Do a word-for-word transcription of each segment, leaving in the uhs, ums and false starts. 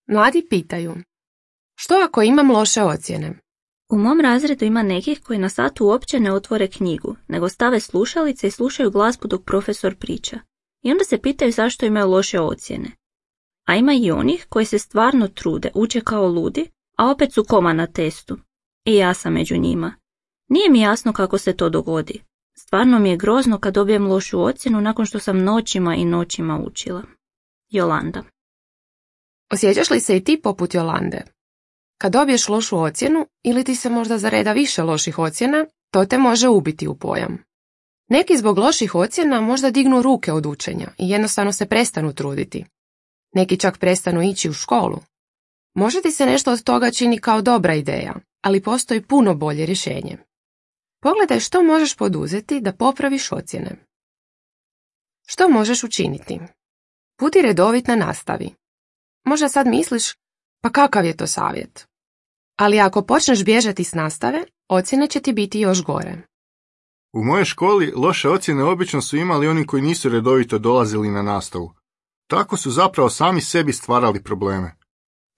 Mladi pitaju: što ako imam loše ocjene? U mom razredu ima nekih koji na satu uopće ne otvore knjigu, nego stave slušalice i slušaju glazbu dok profesor priča. I onda se pitaju zašto imaju loše ocjene. A ima i onih koji se stvarno trude, uče kao ludi, a opet su koma na testu. I ja sam među njima. Nije mi jasno kako se to dogodi. Stvarno mi je grozno kad dobijem lošu ocjenu nakon što sam noćima i noćima učila. Jolanda. Osjećaš li se i ti poput Jolande? Kad dobiješ lošu ocjenu ili ti se možda zareda više loših ocjena, to te može ubiti u pojam. Neki zbog loših ocjena možda dignu ruke od učenja i jednostavno se prestanu truditi. Neki čak prestanu ići u školu. Možda ti se nešto od toga čini kao dobra ideja, ali postoji puno bolje rješenje. Pogledaj što možeš poduzeti da popraviš ocjene. Što možeš učiniti? Budi redovit na nastavi. Možda sad misliš, pa kakav je to savjet? Ali ako počneš bježati s nastave, ocjene će ti biti još gore. U mojoj školi loše ocjene obično su imali oni koji nisu redovito dolazili na nastavu. Tako su zapravo sami sebi stvarali probleme.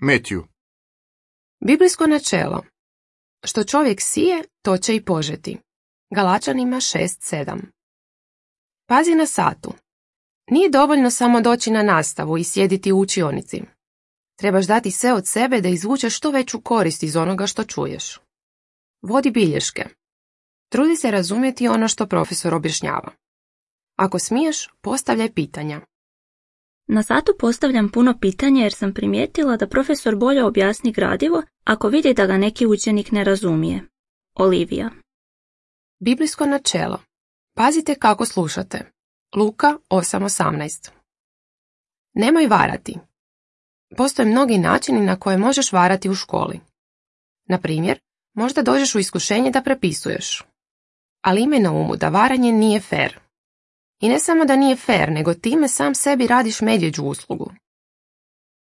Matthew. Biblijsko načelo. Što čovjek sije, to će i požeti. Galačanima šest sedam. Pazi na satu. Nije dovoljno samo doći na nastavu i sjediti u učionici. Trebaš dati sve od sebe da izvučeš što veću korist iz onoga što čuješ. Vodi bilješke. Trudi se razumjeti ono što profesor objašnjava. Ako smiješ, postavljaj pitanja. Na satu postavljam puno pitanja jer sam primijetila da profesor bolje objasni gradivo ako vidi da ga neki učenik ne razumije. Olivija. Biblijsko načelo. Pazite kako slušate. Luka osam osamnaest. Nemoj varati. Postoje mnogi načini na koje možeš varati u školi. Na primjer, možda dođeš u iskušenje da prepisuješ. Ali imaj na umu da varanje nije fer. I ne samo da nije fer, nego time sam sebi radiš medvjeđu uslugu.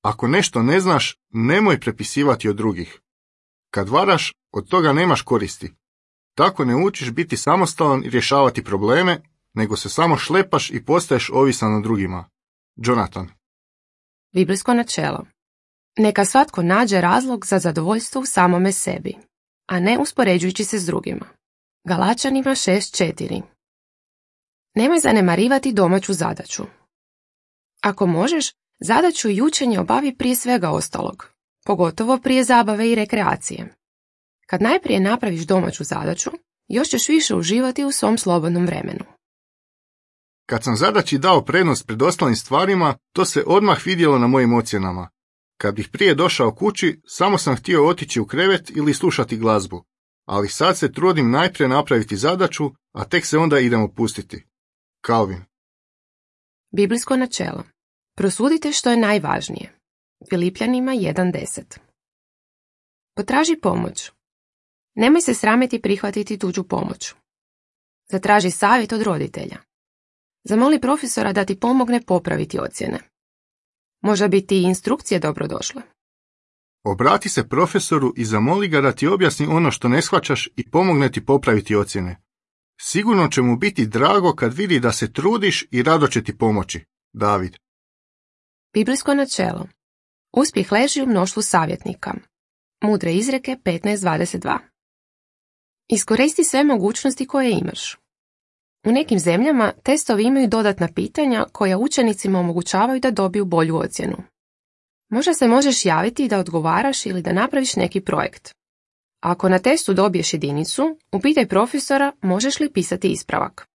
Ako nešto ne znaš, nemoj prepisivati od drugih. Kad varaš, od toga nemaš koristi. Tako ne učiš biti samostalan i rješavati probleme, nego se samo šlepaš i postaješ ovisan o drugima. Jonathan. Biblijsko načelo. Neka svatko nađe razlog za zadovoljstvo u samome sebi, a ne uspoređujući se s drugima. Galačanima šest četiri. Nemoj zanemarivati domaću zadaću. Ako možeš, zadaću i učenje obavi prije svega ostalog, pogotovo prije zabave i rekreacije. Kad najprije napraviš domaću zadaću, još ćeš više uživati u svom slobodnom vremenu. Kad sam zadaći dao prednost pred ostalim stvarima, to se odmah vidjelo na mojim ocjenama. Kad bih prije došao kući, samo sam htio otići u krevet ili slušati glazbu. Ali sad se trudim najprije napraviti zadaću, a tek se onda idem opustiti. Calvin. Biblijsko načelo. Prosudite što je najvažnije. Filipljanima jedan deset. Potraži pomoć. Nemoj se sramiti prihvatiti tuđu pomoć. Zatraži savjet od roditelja. Zamoli profesora da ti pomogne popraviti ocjene. Možda bi ti instrukcije dobrodošle. Obrati se profesoru i zamoli ga da ti objasni ono što ne shvaćaš i pomogne ti popraviti ocjene. Sigurno će mu biti drago kad vidi da se trudiš i rado će ti pomoći. David. Biblijsko načelo. Uspjeh leži u mnoštvu savjetnika. Mudre izreke petnaest dvadeset dva. Iskoristi sve mogućnosti koje imaš. U nekim zemljama testovi imaju dodatna pitanja koja učenicima omogućavaju da dobiju bolju ocjenu. Možda se možeš javiti da odgovaraš ili da napraviš neki projekt. Ako na testu dobiješ jedinicu, upitaj profesora možeš li pisati ispravak.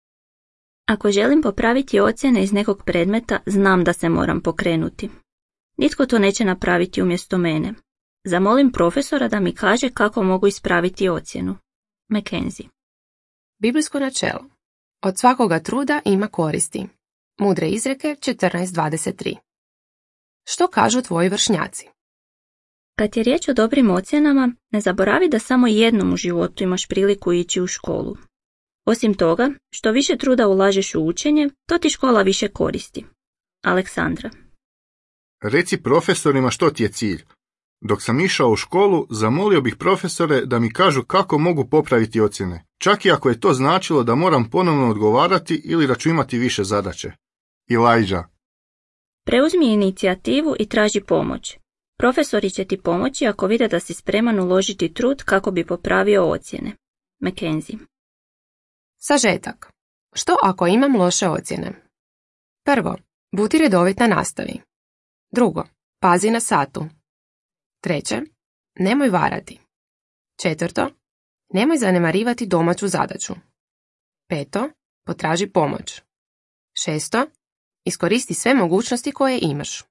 Ako želim popraviti ocjene iz nekog predmeta, znam da se moram pokrenuti. Nitko to neće napraviti umjesto mene. Zamolim profesora da mi kaže kako mogu ispraviti ocjenu. Mackenzie. Biblijsko načelo. Od svakoga truda ima koristi. Mudre izreke četrnaest dvadeset tri. Što kažu tvoji vršnjaci? Kad je riječ o dobrim ocjenama, ne zaboravi da samo jednom u životu imaš priliku ići u školu. Osim toga, što više truda ulažeš u učenje, to ti škola više koristi. Aleksandra. Reci profesorima što ti je cilj. Dok sam išao u školu, zamolio bih profesore da mi kažu kako mogu popraviti ocjene, čak i ako je to značilo da moram ponovno odgovarati ili da ću imati više zadaće. Elijah. Preuzmi inicijativu i traži pomoć. Profesori će ti pomoći ako vide da si spreman uložiti trud kako bi popravio ocjene. Mackenzie. Sažetak. Što ako imam loše ocjene? Prvo, budi redovit na nastavi. Drugo, pazi na satu. Treće, nemoj varati. Četvrto, nemoj zanemarivati domaću zadaću. Peto, potraži pomoć. Šesto, iskoristi sve mogućnosti koje imaš.